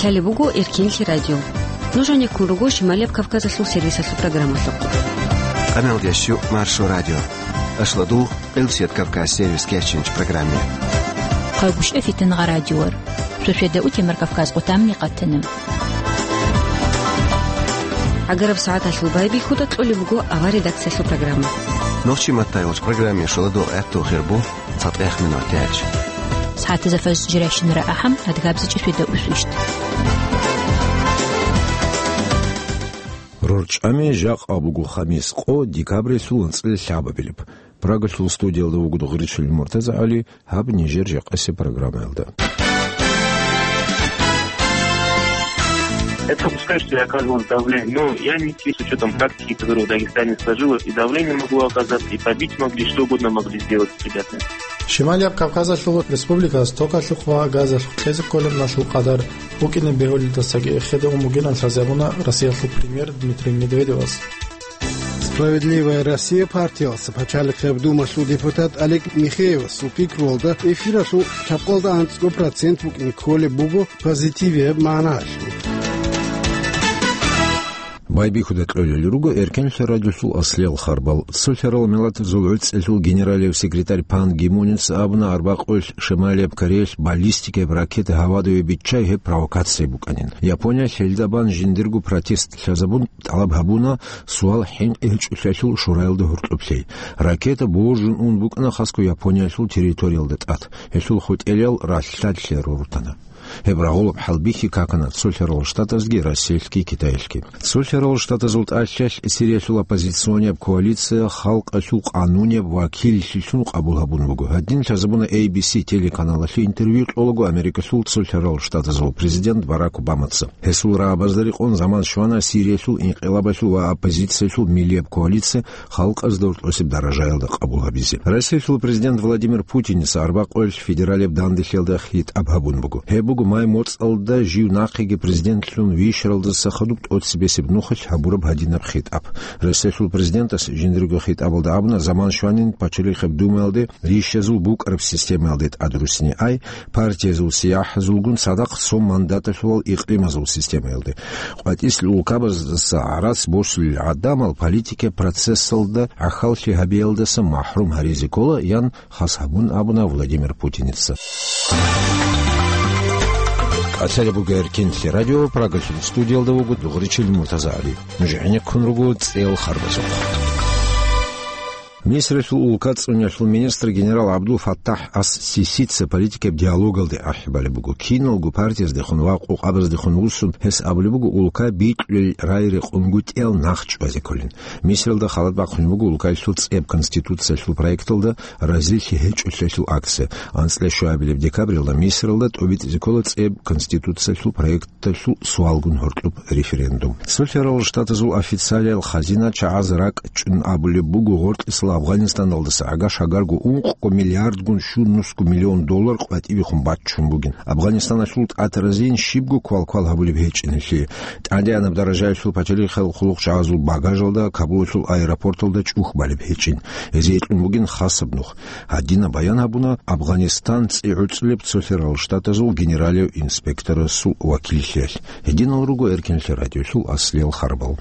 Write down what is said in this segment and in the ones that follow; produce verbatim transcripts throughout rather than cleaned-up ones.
Лъалеб буго Эркинлъи радио. Нуж гӀенеккун руго Шималияб Кавказалъул сервисалъул программалъухъ. Къамелдещу Маршо радио. Ашладул, Къилсият Кавказ сервис кечинч программе. Хъагушев Фитнагъа радиор. Сосиеда Утемар Кавказ къутамни къатана. ГӀагараб сагӀаталъул байбихьуда кьолеб буго авар редакциялъул программа. Нохчи маттайолч программе шоладо гӀатту хирбу. ЦатӀех минут яч. СагӀатазда фаз жирайщинара ахӀам, адгабзичӀеб светда усвищт. РорчӀами жакъа буго хамис къо декабрилъул анцӀила лъабабилеб. Прагалъул студиялда вуго Гъричил МуртазагӀали, гьаб нижер жакъасеб программаялда. Это пускай, что я оказывал давление, но я не с учетом практики, которая в Дагестане сложилась, и давление могло оказаться, и побить могли, что угодно могли сделать ребята. Шималияб Кавказалъул республикаялъ токалъухъ ва газалъухъ кьезе кколеб налъул къадар букӀине бегьулелдасаги эхеде ун бугин лъазабуна Россиялъул премьер Дмитрий Медведевас. «Справедливая Россия» партиялъ пачалихъеб думалъул депутат Олег Михеевасул пикруялда эфиралъул лъабкъалда анцӀго процент букӀин кколеб буго позитивияб магӀналъулъ. Байбихьуда кьолел руго Эркенлъи радиолъул аслиял харбал. Цолъарал миллатазул гӀуцӀелъул генералияв секретарь Пан Ги Муница абуна, арбакъуялъ Шималияб Кореялъ баллистикаяб ракета гьавадаве биччай гьеб провокация букӀанин. Япониялъ гьелда бан жиндирго протест лъазабун тӀалаб гьабуна, суал хӀинкъи гьечӀолъиялъул шураялда гьоркьоб лъей. Ракета божун ун букӀана хасго Япониялъул территориялда тӀад. Гьелъул хутӀелал ралъдалъе рорутана. Гьеб рагъулаб хӀалбихьи какана Цолъарал Штатазги Россиялъги Китаялъги. Цолъарал Штатазул тӀалъиялъ Сириялъул оппозиционияб коалиция халкъалъул къанунияб вакиллъилъун къабул гьабун буго. Гьадин лъазабуна A B C телеканалалъе интервью кьолаго Америкалъул Цолъарал Штатазул президент Барак Обамаца. Гьесул рагӀабазда рекъон заман щвана Сириялъул инкъилабалъул ва оппозициялъул миллияб коалиция халкъазда гьоркьосеб даражаялда къабул гьабизе. Россиялъул президент Владимир Путиница арбакъуялъ федералияб данделъиялда хитӀаб гьабун буго. Гьеб буго май моцӀалда жив нахъеги президентлъун вищаралдаса хадуб тӀоцебесеб нухалъ гьабураб гьадинаб хитӀаб. Россиялъул президентас жиндирго хитӀабалда абуна, заман щванин пачалихъеб думаялде рищазул букӀараб системаялде тӀадрусине ай, партиязул сияхӀазулгун цадахъ цо мандаталъулал икълимазул системаялде. КъватӀислъи улкабаздаса гӀарац босулел гӀадамал политикаб процессалда гӀахьаллъи гьабиялдаса махӀрум гьаризе ккола, ян хас гьабун абуна Владимир Путиница. КӀалъалеб буго Эркенлъи радио, Прагалъул студиялда вуго Дугъричил МуртазагӀали. Нуж гӀенеккун руго цӀел харбазухъ. Мисралъул улка цӀуниялъул министр генерал ГӀабдул Фаттахь ас-Сисица политикаб диалогалде ахӀи балеб буго. Киналго партияздехун ва къокъабаздехун вуссун гьес абулеб буго улка бикьулел рай рекъонгутӀиял нах чӀвазе кколин. Мисралда халат бахъун буго улкаялъул цӀеб конституциялъул проекталда разилъи гьечӀолъиялъул акция. АнцӀила щуабилеб декабрилда Мисралда тӀобитӀизе ккола цӀеб конституциялъул проект тӀалъул суалгун гьоркьоб референдум. Цолъарал Штатазул официалиял хазина чагӀаз ракӀчӀун абулеб буго, гъоркьисал Афганистаналдаса гӀагаш-гӀагарго ункъго миллиардгун щунусго миллион доллар къватӀибехун баччун бугин. Афганистаналъул тӀатаразин щибго квалквал гьабулеб гьечӀин гьелъие. ТӀадегӀанаб даражаялъул пачалихъал хъулухъчагӀазул багажалда Кабулалъул аэропорталда чӀух балеб гьечӀин. Гьезие кьун бугин хасаб нух. Гьадинаб баян гьабуна Афганистан цӀи гӀуцӀулеб Цолъарал Штатазул генералияв инспекторасул вакиллъиялъ. Гьединал руго Эркенлъи радиолъул аслиял харбал.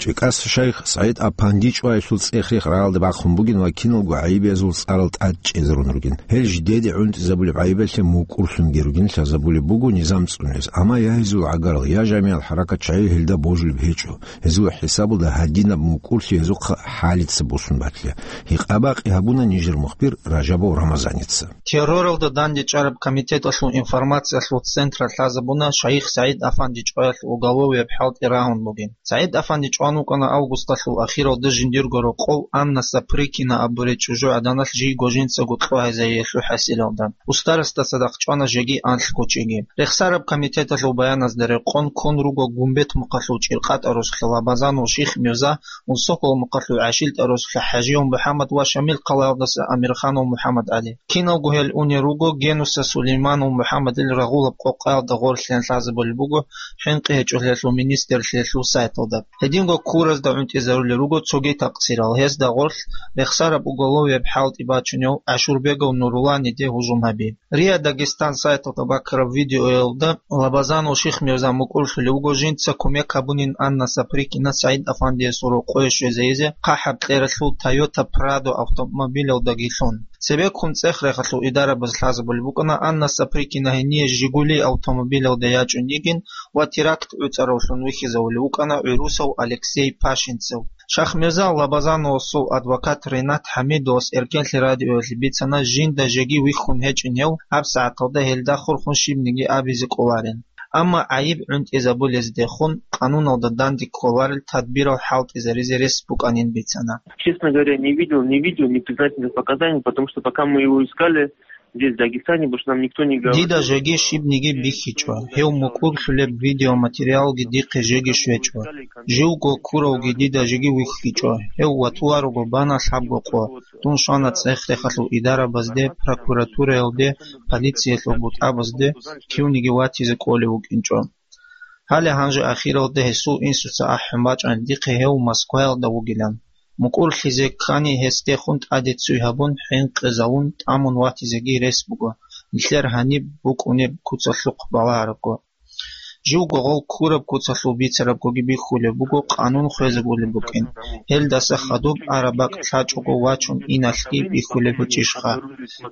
ЧӀикӀас шайх СагӀид Апанди чӀваялъул цӀех-рех рагӀалда бахъун бугин ва киналго гӀайибиязул цӀарал тӀад чӀезарун ругин. Гьел жидеде гӀунтӀизабулеб гӀайибалъе мукӀурлъунги ругин лъазабулеб буго низам цӀуниялъ, амма я гьезул гӀагарал, я жамигӀал хӀаракат чагӀи гьелда божулеб гьечӀо. Гьезул хӀисабалда гьадинаб мукӀурлъи гьезухъа хӀалица босун батила. Гьикъа-бакъи гьабуна нижер мухбир Ражабов Рамазаница. Терроралда дандечӀараб комитеталъул информациялъул централъ лъазабуна шайх СагӀид Афанди чӀваялъ уголовияб хӀалтӀи рагьун бугин. СагӀид Афанди чӀван вукӀана августалъул ахиралда жиндирго рокъов Анна Сапрыкина абурей чӀужугӀаданалъ жийго жинцаго кьогьезаиялъул хӀасилалда. Устарасда цадахъ чӀвана жеги анлъго чиги. Рехсараб комитеталъул баяназда рекъон ккун руго Гумбет мухъалъул ЧӀиркъатӀа росулъа Лабазанул Ших Мирза, Усокол мухъалъул ГӀашилтӀа росулъа ХӀажиев МухӀаммад ва Шамил хъалаялдаса Амирханов МухӀаммад ГӀали. Киналго гьел унел руго Генуса Сулейманов МухӀаммадил рагъулаб къокъаялда гъорлъиялъ лъазабулеб буго хӀинкъи гьечӀолъиялъул министрлъиялъул сайталда. Гьединго Куразда гӀунтӀизарулел руго цоги такъсирал. Гьезда гъорлъ рехсараб уголовияб хӀалтӀи бачунев ГӀашурбегов Нуруланиде гьужум гьаби. РИА Дагестан сайталда бакараб видеоялда Лабазанов Шихмирза мукӀурлъулев вуго жинца кумек гьабунин Анна Саприкина СагӀид Афандиясул рокъое щвезайизе хъахӀаб кьералъул Toyota Prado автомобилалдагилъун. Цебеккун цӀех-рехалъул идарабаз лъазабулеб букӀана Анна Саприкина гьение Жигули автомобилалда ячӀун йигин ва теракт гӀуцӀаравлъун вихьизавулев вукӀана гӀурусав Алексей Пашинцев. Шихмирза Лабазановасул адвокат Ренат ХӀамидовас Эркенлъи радиоялъе бицана, жинда жеги вихьун гьечӀин гьев, гьаб сагӀаталда гьелда хурхун щибниги абизе кӀоларин. Амма гӀайиб гӀунтӀизабулездехун къануналда данде кколарел тадбирал хӀалтӀизаризе рес букӀанин бицана. Честно говоря, не видел, не видел непризнательных показаний, потому что пока мы его искали, здесь, в Дагестане, потому что нам никто не говорил. Дида жеги щибниги бихьичӀо. Гьев мукӀурлъулеб видеоматериалги дихъе жеги щвечӀо. Живго куравги дида жеги вихьичӀо. Гьев ватуларого бана лъабго къо. Дун щвана цӀех-рехалъул идарабазде, прокуратураялде, полициялъул бутӀабазде, кивниги ватизе кӀолев вукӀинчӀо. Гьале гьанже ахиралда гьесул инсуца ахӀун бачӀана дихъе гьев Москваялда вугилан. МукӀурлъизе ккани гьесдехун тӀаде ццуй гьабун, хӀинкъизавун, тӀамун ватизеги рес буго, нилъер гьаниб букӀунеб куцалъухъ балагьарабго. Живго гъов ккураб куцалъул бицарабгоги бихьулеб буго, къанун хвезабулеб букӀин. Гьелдаса хадуб араб бакӀ лъачӀого вачун иналъги бихьулеб гьечӀищха?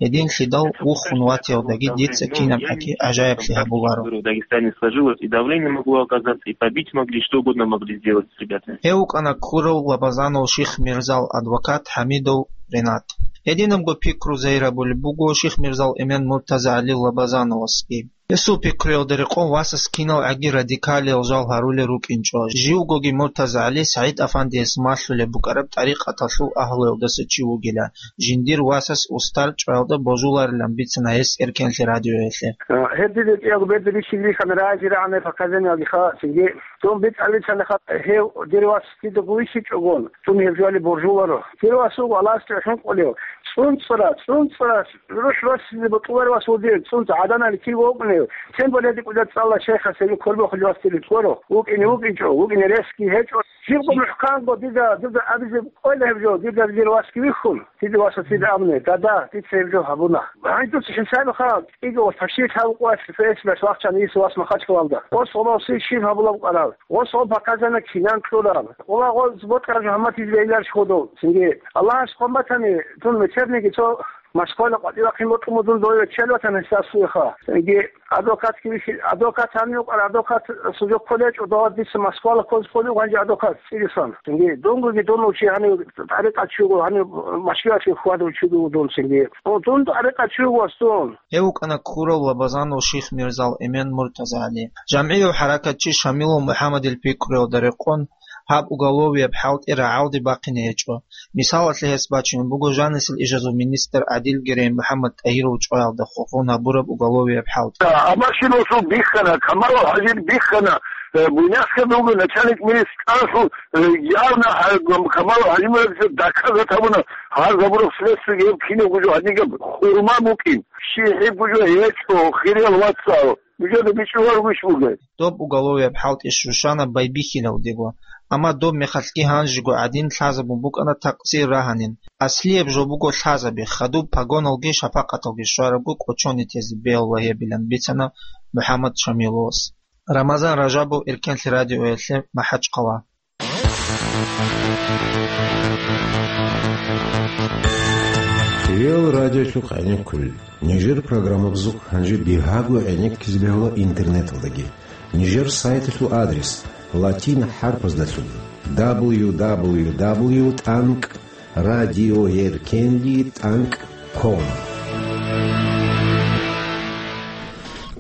Гьединлъидал вухун ватиялдаги дица кинаб гӀаги гӀажаиблъи гьабуларо. В Дагестане сложилось, и давление могло оказаться, и побить могли, что угодно могли сделать с ребятами. Гьев вукӀана ккурав Лабазанов Шихмирзал адвокат ХӀамидов Ренат. Гьединабго пикру загьирабулеб буго Шихмирзал эмен МуртазагӀали Лабазановасги. Гьесул пикруялда рекъон васас кинал гӀаги радикалиял жал гьарулел рукӀинчӀо. Живгоги МуртазагӀали СагӀид-Афандияс малъулеб букӀараб тӀарикъаталъул агьлуялдаса чи вугила. Жиндир васас устар чӀваялда божуларилан бицана гьес Эркенлъи радиоялъе. Гьеб дида кӀиялго берда бихьизе бихьана, рази рагӀана показаниялги халасинги. Дун битӀараб бицана гьеб дир вас дидаго вихьичӀогон, дун гьеб жоялде божуларо. Дир вас вуго Аллагьасде хӀинкъулев, цӀунцӀра, цӀунцӀра рухӀ васизе бутӀуларев вас вугев, цӀунцӀ гӀаданали кив вукӀунев, тем более дикӀуда цӀалла шайхас гьеб кколбохулев вас дир ккоро, вукӀине вукӀинчӀо, вукӀине ресги гьечӀо. Жибго мухӀканго дида, дида абизе кӀвела гьеб жо, дида дир васги вихьун, дида васа дида абуни, дада, дица гьеб жо гьабуна. Гьанже дуца хӀисабиха, кӀиго ва ташриф гьаб къвалъ, фейсбук вахчана ис вас Махачкалалда. Ос гъолоси щиб гьабулаб къарал. Гъос гъо показана кинан кьураб. Къула гъоз бокьараб жо гьамматизе бегьиларищ гъодов? Цинги Аллагьас хъван батани, дун мецерниги цо Москвала къватӀивахъин бокьун дун дове чел ватана гьесасуеха. Цинги адвокатги вихьи-, адвокат гьанив къвар, адвокат сужок кколечӀо, дова дица Москвала ккоз кколев гъанжи адвокат цӀирисан. Цинги дунгоги дун чи гьанив тӀарикъат чуго, гьанив машгилалъе хьвадав чуго дун цинги. О, дун тӀарикъат чуго вас дун. Гьев вукӀана ккурав Лабазанов Шихмирзал эмен МуртазагӀали. ЖамгӀияв хӀаракатчи Шамилов МухӀаммадил пикруялда рекъон, гьаб уголовияб хӀалтӀи рагӀалде бахъине гьечӀо. Мисалалъе гьес бачунеб буго жанисел ишазул министр ГӀадил Герей МухӀаммад ТӀагьиров чӀваялда хурхун гьабураб уголовияб хӀалтӀи. Амаршин Расул биххана, Камалов ХӀажи биххана, э, Буйнакскида вуго начальник милиции ТӀагьиров, э, явно гьа-, Камалов ХӀажимурадовича доказать гьабуна, гьар гьабураб следствиеги гьеб кинабго жо гьадинаб хурма букӀин. Щиб гьебго жо гьечӀо, хириял вацал. Нужеда бичӀчӀуларищ бугеб? Доб уголовияб хӀалтӀи щущана байбихьилавдего, амма доб мехалъги гьанжего гӀадин лъазабун букӀана такъсир рагьанин. Аслияб жо буго лъазаби, хадуб погоналги шапакъаталги щварабго кӀочон тезе бегьула гьебилан бицана МухӀаммад Шамиловас. Рамазан Ражабов, Эркенлъи радиоялъе, МахӀачхъала. Ил радиолъухъ гӀенеккулел. Нижер программабазухъ гьанже бигьаго гӀенеккизе бегьула интернеталдаги. Нижер сайталъул адрес латин хӀарпаздалъун: дабл ю дабл ю дабл ю тӀанкӀ радиоеркенлъи тӀанкӀ ком.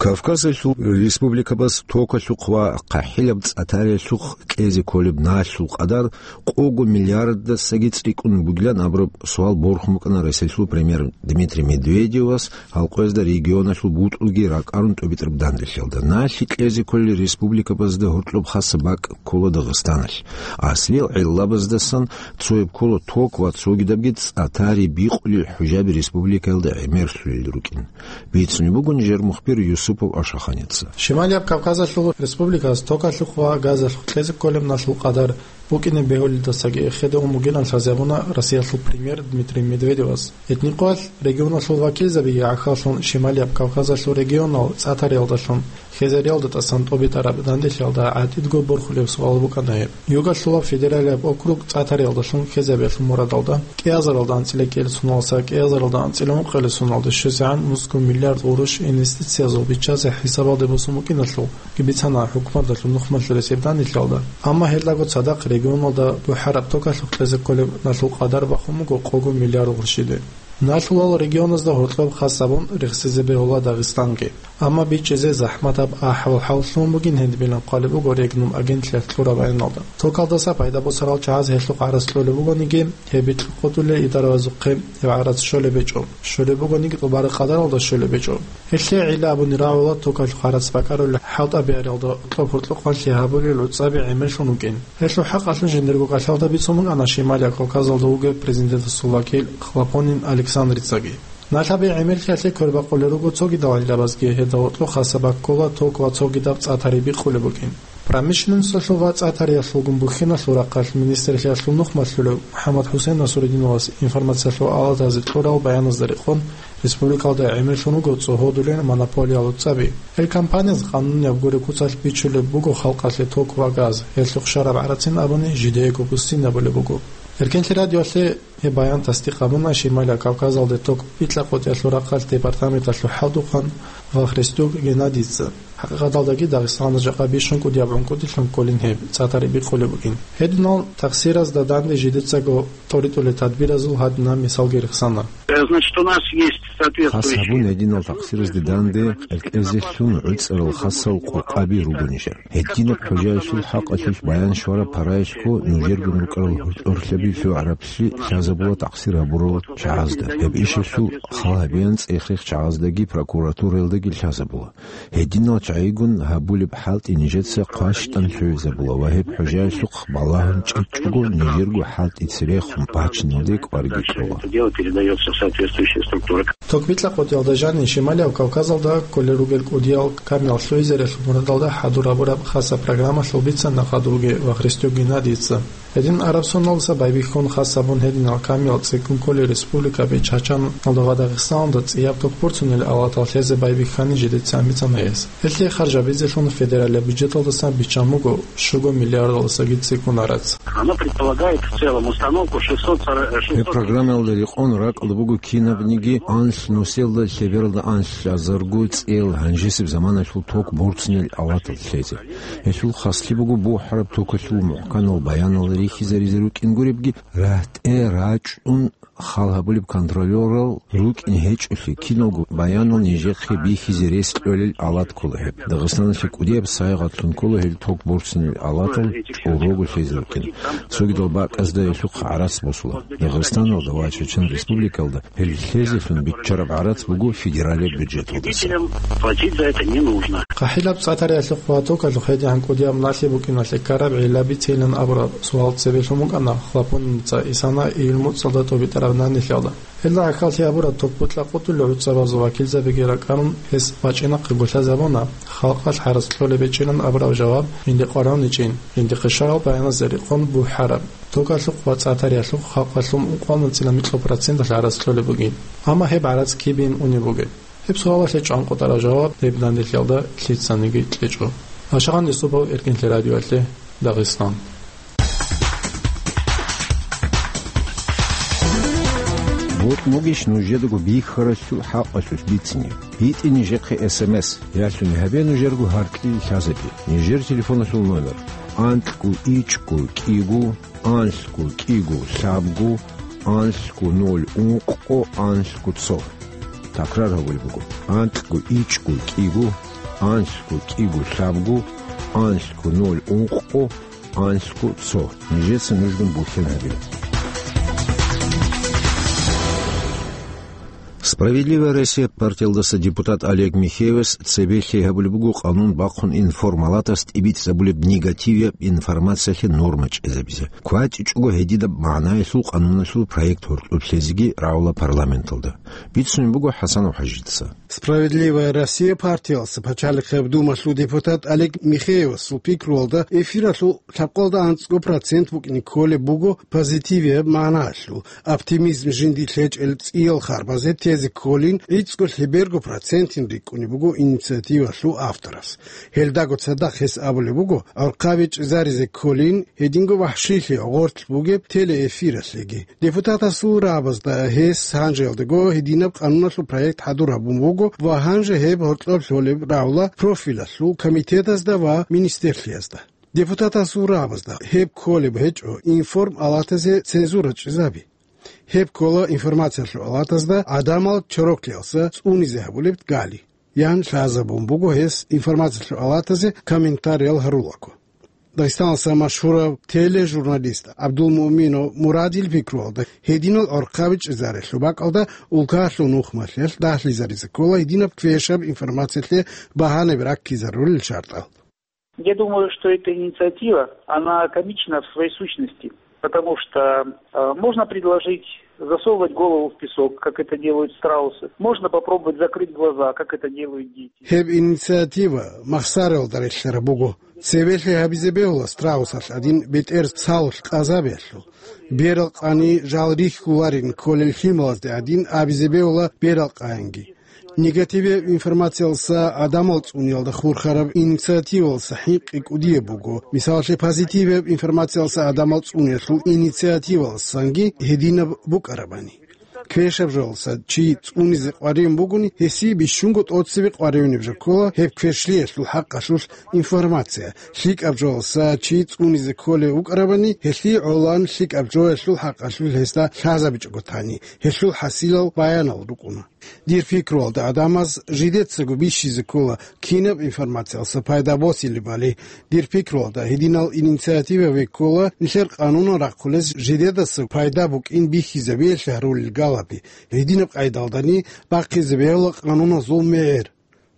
Кавказалъул республикабаз токалъухъ ва хъахӀилаб цӀатариялъухъ кьезе кколеб налъул къадар къого миллиардасаги цӀикӀкӀун бугилан абураб суал борхун букӀана Россиялъул премьер Дмитрий Медведевас гьалкъоязда регионалъул бутӀрулги ракӀарун тӀобитӀараб данделъиялда. Налъи кьезе кколел республикабазда гьоркьоб хасаб бакӀ ккола Дагъистаналъ. Аслиял гӀиллабаздасан цояб ккола ток ва цогидабги цӀатари бикъулел хӀужаби республикаялда гӀемерлъулел рукӀин. Бицунеб буго нижер мухбир Юсупов Ашаханица. Шималияб Кавказалъул республикаялъ токалъухъ ва газалъухъ кьезе кколеб налъул къадар букӀине бегьулелдасаги эхеде ун бугилан лъазабуна Россиялъул премьер Дмитрий Медведевас. Гьединлъидал регионалъул вакилзабиги гӀахьаллъун Шималияб Кавказалъул регионал цӀатариялдалъун хезариялда тӀасан тӀобитӀараб данделъиялда гӀатӀидго борхулеб суал букӀана гьеб. Югалъулаб федералияб округ цӀатариялдалъун хезабиялъул мурадалда кӀиазаралда анцӀила кӀел суналса кӀиазаралда анцӀила ункъилел суналде щвезегӀан нусго миллиард гъурущ инвестициязул биччазе хӀисабалде босун букӀиналъул бицана хӀукуматалъул нухмалъулес гьеб данделъиялда. Амма гьелдаго цадахъ регионалда бухӀараб токалъухъ кьезе кколеб налъул къадар бахун буго къого миллиард гъурщиде. Налъулал регионазда гьоркьоб хас гьабун рехсезе бегьула Дагъистанги. Амма бичӀчӀизе захӀматаб ахӀвал-хӀал лъугьун бугин гьединабилан хъвалеб буго Регнум агентлъиялъ кьураб баяналда. Токалдаса пайда босарал чагӀаз гьелъухъ гӀарац кьолеб бугониги, гьеб бикьукъулел идаравазухъе гьеб гӀарац щолеб гьечӀо. Щолеб бугониги тӀубараб къадаралда щолеб гьечӀо. Гьелъие гӀилла абуни рагӀула токалъухъ гӀарац бакӀарулел хӀалтӀабиялда кьоб гьоркьохъанлъи гьабулел гӀуцӀаби гӀемерлъун вукӀин. Гьелъул хӀакъалъулъ жиндирго кӀалъалда бицун букӀана Шималияб Кавказалда вугев президентасул вакил Хлопонин Александрицаги. Налъаби гӀемерлъиялъе квербакъулел руго цогидал гӀиллабазги, гьелда гьоркьохъ хасаб баккула ток ва цогидаб цӀатари бикъулеб букӀин. Промышленносталъул ва цӀатариялъулгун бухьиналъул рахъалъ министрлъиялъул нухмалъулев МухӀаммад-ХӀусен Насрудиновас информациялъул алатазе кьурал баяназда рекъон, республикалда гӀемерлъун руго цӀогьодулел монополиялъул цӀаби. Гьел компаниязда къанунияб гуреб куцалъ бичулеб буго халкъалъе ток ва газ, гьелъухъ щвараб гӀарацин абуни жидеего буссинабулеб буго. Эркенлъи радиоялъе гьеб баян тасдикъ гьабуна Шималияб Кавказалде ток бикьа-къотӀиялъул рахъалъ департаменталъул хӀалтӀухъан Вахристюк Геннадийица. ХӀакъикъаталдаги Дагъистаналда жакъа бищун кӀудияб гӀункӀудилъун кколин гьеб цӀатари бикъулеб букӀин. Гьединал тахсиразда данде жидецаго тӀоритӀулел тадбиразул гьадинаб мисалги рехсана. Э, значит, у нас есть соответствующие... Хас гьабун гьединал тахсиразде данде кьеркьезелъун гӀуцӀарал хасал къокъаби руго нижер. Гьединаб хӀужаялъул хӀакъалъулъ баян щвараб параялъго нужергун рукӀарал гьоркьорлъаби лъугӀараблъи лъазабула тахсир гьабурал чагӀазда. Гьеб ишалъул хал гьабеян цӀех-рех чагӀаздаги прокуратураялдаги лъазабула. Гьединал чагӀигун гьабулеб хӀалтӀи нижеца хъващтӀан лъугӀизабула ва гьеб хӀужаялъухъ балагьун чӀечӀого нижерго хӀалтӀи цебехун бачиналде кӀварги кьола. Ток бикьа-къотӀиялда жанив Шималияб Кавказалда кколел ругел кӀудиял камил лъугӀизариялъул мурадалда хӀадур гьабураб хасаб программалъул бицана хадурги Вахристюк Геннадийица. Гьедин араб соналдаса байбихьун хас гьабун гьединал камил цӀикӀкӀун кколел республикаби Чачаналда ва Дагъистаналда цӀияб ток борцунел алатал лъезе байбихьани жидеца бицана гьес. Гьелъие харжабизелъун федералияб бюджеталдасан биччан буго щуго миллиардалдасаги цӀикӀкӀун гӀарац. Оно предполагает в целом установку шестьсот сорок, э, шестьсот... Гьеб программаялда рекъон ракӀалда буго кинабниги анлъ нусиялда лъебералда анлъазарго цӀел гьанжесеб заманалъул ток борцунел алатал лъезе. Гьелъул хаслъи буго бухӀараб токалъул мухӀканал баянал рихьизаризе рукӀин гуребги, рагьтӀе рачӀун хал гьабулеб контролёрал рукӀин гьечӀолъи, киналго баянал нижехъе бихьизе рес кьолел алат ккола гьеб. Дагъистаналъе кӀудияб сайгъатлъун ккола гьел ток борцунел алатал чӀорого лъезе рукӀин. Цогидал бакӀазда гьелъухъ гӀарац босула. Дагъистаналда ва Чечен Республикалда гьел лъезелъун биччараб гӀарац буго федералияб бюджеталдаса. Платить за это не нужно. ХъахӀилаб цӀатариялъухъ ва токалъухъ гьедигӀан кӀудияб налъи букӀиналъе ккараб гӀилла бицейилан абураб суал цебе лъун букӀана Хлопониница Исана июль муцӀалда тӀобитӀараб данделъиялда. Гьелда гӀахьаллъи гьабураб ток бикьа-къотӀулел гӀуцӀабазул вакилзабигеги ракӀарун, гьес бачӀинахъего лъазабуна, халкъалъ гӀарац кьолеб гьечӀилан абураб жаваб жинде къваригӀуничӀин, жиндихъе щварал баяназда рекъон бухӀараб. Токалъухъ ва цӀатариялъухъ халкъалъул ункъоялда анцӀила микьноб проценталъ гӀарац кьолеб бугин. Амма гьеб гӀарац кибейин унеб бугеб? Гьеб суалалъе чӀванкъотӀараб жаваб гьеб данделъиялда лъицаниги кьечӀо. Ашагъан Юсупов, Эркенлъи радиоялъе, Дагъистан. Бокьбугищ нужедаго бихьаралъул хӀакъалъулъ бицине? БитӀе нижехъе эс эм эс, ялъуни гьабе нужерго гьаркьил лъазабе. Нижер телефоналъул номер: анкьго ичӀго кӀиго, анлъго кӀиго лъабго, анлъго ноль ункъо, анлъго цо. Такрар гьабулеб буго: анкьго ичӀго кӀиго, анлъго кӀиго лъабго, анлъго ноль ункъо, анлъго цо. Нижеца нужгун бухьен гьабила. «Справедливая Россия» партиялдаса депутат Олег Михеевас цебе лъей гьабулеб буго къанун бахъун информалатас тӀибитӀизабулеб негативияб информациялъе норма чӀезабизе. КватӀичӀого гьедидаб магӀнаялъул къануналъул проект гьоркьоб лъезеги рагӀула парламенталда. Бицунеб буго ХӀасанов ХӀажидаса. «Справедливая Россия» партиялса пачалихъеб думалъул депутат Олег Михеевасул пикруялда, эфиралъул лъабкъалда анцӀго процент букӀине кколеб буго позитивияб магӀнаялъул, оптимизм жинди лъечӀел цӀиял харбазе тезе кколин, гӀицӀго лъеберго процентин рикӀкӀунеб буго инициативалъул авторас. Гьелдаго цадахъ гьес абулеб буго, гӀорхъаби чӀезаризе кколин, гьединго вахӀшилъи гъорлъ бугеб телеэфиралъеги. Депутатасул рагӀабазда гьес гьанжеялдаго гьединаб къануналъул проект хӀадур гьабун буго ва гьанже гьеб гьоркьоб лъолеб рагӀула профилалъул комитетазда ва министрлъиязда. Депутатасул рагӀабазда гьеб кколеб гьечӀо информалатазе цензура чӀезаби. Гьеб ккола информациялъул алатазда гӀадамал чороклъиялса цӀунизе гьабулеб гали. Ян лъазабун буго гьес информациялъул алатазе комментариял гьарулаго. Дагъистаналъа машгьурав тележурналист ГӀабдулмуъминов Мурадил пикруялда, гьединал гӀорхъаби чӀезарелъул бакӀалда улкаялъул нухмалъиялъ дагьлъизаризе ккола гьединаб квешаб информациялъе багьанаби раккизарулел шартӀал. Я думаю, что эта инициатива, она комична в своей сущности, потому что э, можно предложить засовывать голову в песок, как это делают страусы. Можно попробовать закрыть глаза, как это делают дети. Гьеб инициатива махсаралда релълъараб буго. Цевелъи гьабизе бегьула страусалъ гӀадин бетӀер салулъ къазабиялъул. Берал къани жал рихьуларин кколел лъималазде гӀадин абизе бегьула берал къаянги. Негативияб информациялса гӀадамал цӀуниялда хурхараб инициативалса хӀинкъи кӀудияб буго. Мисалалъе, позитивияб информациялса гӀадамал цӀуниялъул инициативалсанги гьединаб букӀарабани. Квешаб жоялса чи цӀунизе къваригӀун бугони, гьесие бищунго тӀоцебе къваригӀунеб жо ккола гьеб квешлъиялъул хӀакъалъулъ информация. ЛъикӀаб жоялса чи цӀунизе кколев вукӀарабани, гьелъие гӀолан лъикӀаб жоялъул хӀакъалъулъ гьесда лъазабичӀого тани, гьелъул хӀасилал баянал рукӀуна. Дир пикруялда гӀадамаз жидецаго бищизе ккола кинаб информациялса пайда босилебали. Дир пикруялда гьединал инициативаби ккола нилъер къанунал рахъулез жидедаса пайда букӀин бихьизабиялъе гьарулел галаби. Гьединаб къайдалдани бахъизе бегьула къануназул мегӀер.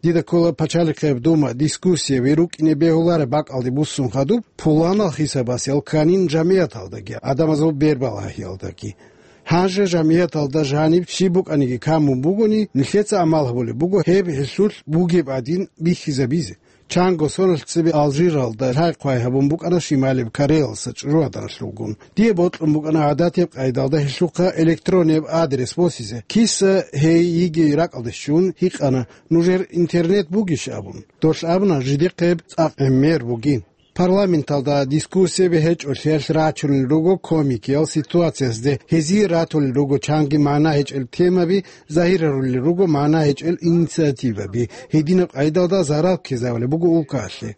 Дида ккола пачалихъеб дума дискуссияби рукӀине бегьулареб бакӀалде буссун хадуб, пуланал хисабас ялканин жамияталдаги, гӀадамазул бербалагьиялдаги. Гьанже жамияталда жаниб щиб букӀаниги камун бугони, нилъеца амал гьабулеб буго гьеб гьелъулъ бугеб гӀадин бихьизабизе. Чанго соналъ цебе Алжиралда лъай-хъвай гьабун букӀана Шималияб Кореялса чӀужугӀаданалъулгун. Дие бокьун букӀана гӀадатияб къайдалда гьелъухъа электроннияб адрес босизе. Киса гьей йигей ракӀалде щун гьикъана, нужер интернет бугищ абун. Долъ абуна жидехъеб цӀакъ гӀемер бугин. Парламенталда дискуссияби гьечӀолъиялъ рачунел руго комикиял ситуациязде, гьезие ратулел руго чанги магӀна гьечӀел темаби, загьирарулел руго магӀна гьечӀел инициативаби, гьединаб къайдалда зарал ккезавулеб буго улкаялъе.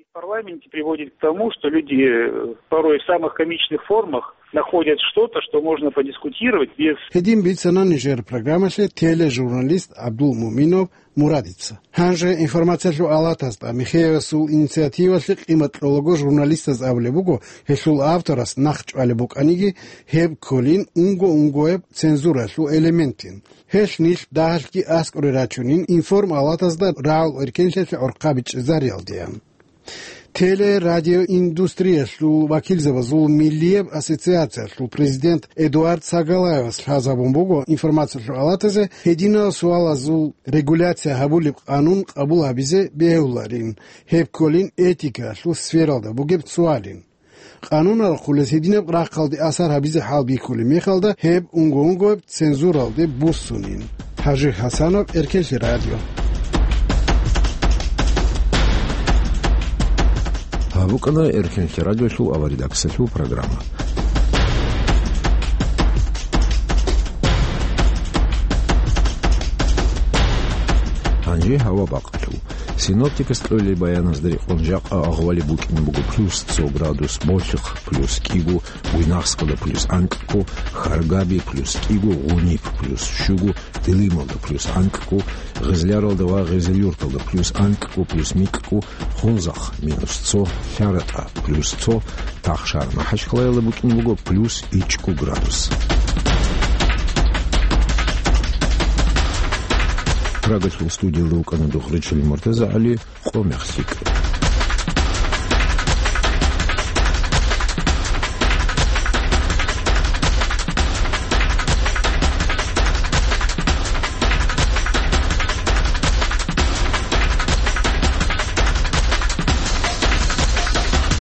В парламенте приводит к тому, что люди э, порой в самых комичных формах находят что-то, что можно подискутировать без... Гьедин бицана нижер программалъе тележурналист ГӀабдул Муминов Мурадица. Гьанже информациялъул алатазда Михеевасул инициативалъе къимат кьолаго журналистаз абулеб буго, гьелъул авторас нахъ чӀвалеб букӀаниги, гьеб кколин унго-унгояб цензуралъул элементин. Гьелъ нилъ дагьалъги аскӀоре рачунин информалатазда рагӀул эркенлъиялъе гӀорхъаби чӀезариялдеян. Телерадиоиндустриялъул вакилзабазул миллияб ассоциациялъул президент Эдуард Сагалаевас лъазабун буго информациялъул алатазе гьединал суалазул регуляция гьабулеб къанун къабул гьабизе бегьуларин, гьеб кколин этикаялъул сфералда бугеб суалин. Къанунал хъулес гьединаб рахъалде асар гьабизе хӀалбихьулеб мехалда, гьеб унго-унгояб цензуралде буссунин. ХӀажи ХӀасанов, Эркенлъи радио. Гьаб букӀана Эркенлъи радиолъул аваридаксалъул программа. Гьанже гьава бакъалъул. Синоптикас кьолеб баяназда рекъон жакъа агъвали букӀине буго плюс цо градус Болъихъ, плюс кӀиго Буйнакскалда, плюс анкьго Харгаби, плюс кӀиго Гъуниб, плюс щуго Дилималда, плюс анкьго Гъезляралда ва Гъезельюрталда, плюс анкьго, плюс микьго Хунзахъ, минус цо ЛъаратӀа, плюс цо Тахшар-МахӀачхъалаялда букӀине буго плюс ичӀго градус. Прагалъул студиялда вукӀана Духричил МуртазагӀали, къо мехлъи.